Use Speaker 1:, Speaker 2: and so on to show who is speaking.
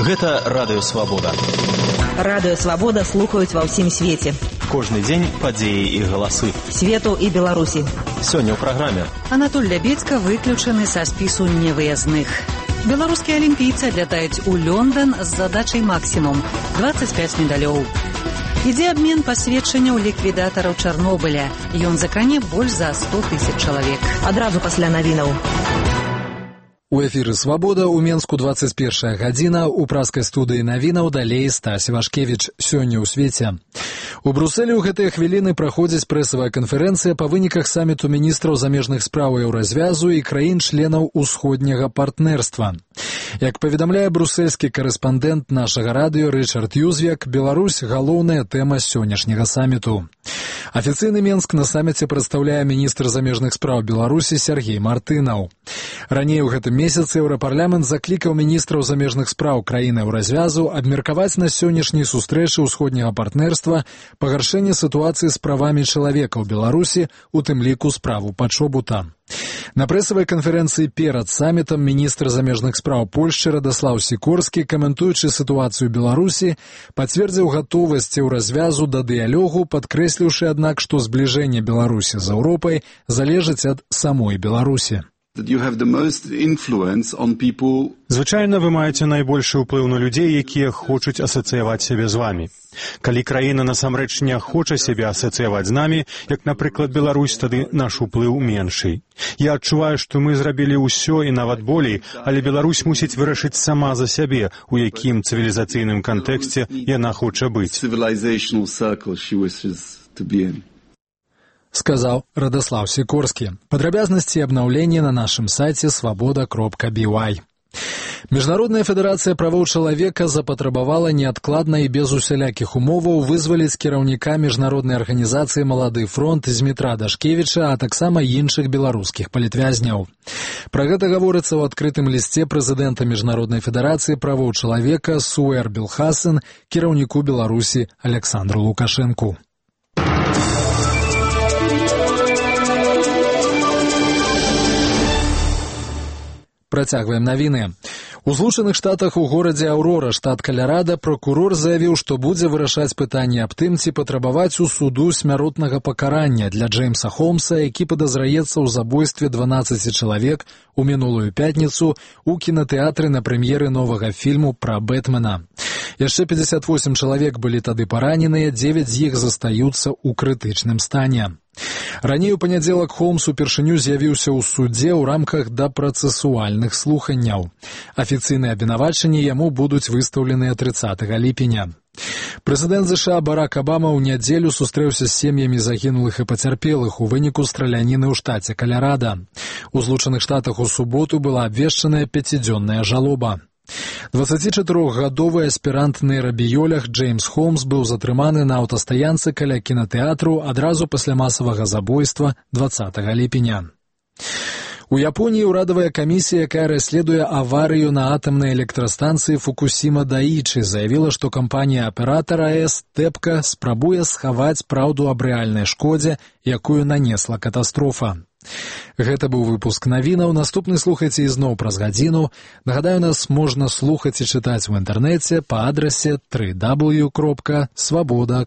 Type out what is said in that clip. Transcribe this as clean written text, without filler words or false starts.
Speaker 1: Гэта Радыё Свабода.
Speaker 2: Радыё Свабода слухаюць ва ўсім свеце.
Speaker 1: Кожны дзень падзеі і галасы.
Speaker 2: Свету і Беларусі.
Speaker 1: Сёння ў праграме.
Speaker 3: Анатоль Лябедзька выключаны са спісу невыязных. Беларускія алімпійцы адлятаюць у Лондон з задачай максімум 25 медалёў. Ідзе абмен пасведчанняў ліквідатараў Чарнобыля. Ён закране больш за 100 000 чалавек.
Speaker 2: Адразу пасля навінаў.
Speaker 4: У эфіры «Свабода» у Менску 21 гадзіна, у праскай студыі навінаў далей Стась Вашкевіч. Сёння ў свеце. У Брусэлі ў гэтыя хвіліны праходзіць прэсавая канферэнцыя па выніках саміту міністраў замежных спраў еўразвязу і краін-членаў усходняга партнерства. Як паведамляе брусельскі карэспандэнт нашага радыё Рычард Юзвек, Беларусь – галоўная тэма сённяшняга саміту. Афіцыйны Менск на саміце прадстаўляе міністр замежных спраў Беларусі Сергей Мартынаў. Раней у гэтым месяцы Еўрапарламент заклікаў міністраў замежных спраў краін еўразвязу абмеркаваць на сённяшняй сустрэчы ўсходняга партнерства пагаршэнне сітуацыі з правамі чалавека ў Беларусі, у тым ліку справу пачобута. На прэсавай канферэнцыі перад самітам міністр замежных спраў Польшчы Радаслаў Сікорскі, каментуючы сітуацыю Беларусі, пацвердзіў гатовасць еўразвязу да дыялогу, падкрэсліўшы, аднак, што збліжэнне Беларусі з Еўропай залежыць ад самой Беларусі.
Speaker 5: Звычайна вы маеце найбольшы ўплыў на людзей, якія хочуць асацыяваць сябе з вамі. Калі краіна насамрэч не хоча сябе асацыяваць з намі, як, напрыклад, Беларусь, тады наш уплыў меншый. Я адчуваю, што мы зрабілі ўсё і нават болей, але Беларусь мусіць вырашыць сама за сябе, у якім цывілізацыйным кантэксце яна хоча быць.
Speaker 4: Сказаў Радаслаў Сікорскі. Падрабязнасці і абнаўленні на нашым сайце свабода.by. Міжнародная федэрацыя правоў чалавека запатрабавала неадкладна і без усялякіх умоваў вызваліць кіраўніка міжнароднай арганізацыі «Малады фронт» Змітра Дашкевіча, а таксама іншых беларускіх палітвязняў. Пра гэта гаворыцца ў адкрытым лісце прэзідэнта Міжнароднай федэрацыі правоў чалавека Суэр Белхасен кіраўніку Беларусі Александру Лукашэнку. Працягваем навіны. У Злучаных Штатах у горадзе Аўрора, штат Каларада, пракурор заявіў, што будзе вырашаць пытанне аб тым, ці патрабаваць у суду смяротнага пакарання для Джеймса Холмса, які падазраецца ў забойстве 12 чалавек у мінулую пятніцу у кінатэатры на прэм'еры новага фільму пра Бэтмена. Яшчэ 58 чалавек былі тады параненыя, 9 з іх застаюцца ў крытычным стане. Раней у панядзелак Холмс упершыню з'явіўся ў судзе ў рамках дапрацэсуальных слуханняў. Афіцыйныя абвінавачанні яму будуць выстаўленыя 30 ліпеня. Прэзідэнт США Барак Абама ў нядзелю сустрэўся з сем'ямі загінулых і пацярпелых у выніку страляніны ў штаце Каларада. У Злучаных Штатах у суботу была абвешчаная 5-дзённая жалоба. 24-гадовы аспірант-нейрабіёлаг Джеймс Холмс быў затрыманы на аўтастаянцы каля кінатэатру адразу пасля масавага забойства 20 ліпеня. У Японіі ўрадавая камісія, якая расследуе аварыю на атамнай электрастанцыі Фукусіма-Даічы, заявіла, што кампанія-аператар АЭС «Тэпка» спрабуе схаваць праўду аб рэальнай шкодзе, якую нанесла катастрофа. Гэта быў выпуск навінаў. Наступны слухайце ізноў праз гадзіну. Нагадаю, нас можна слухаць і чытаць у інтэрнэце па адрасе www.swaboda.by.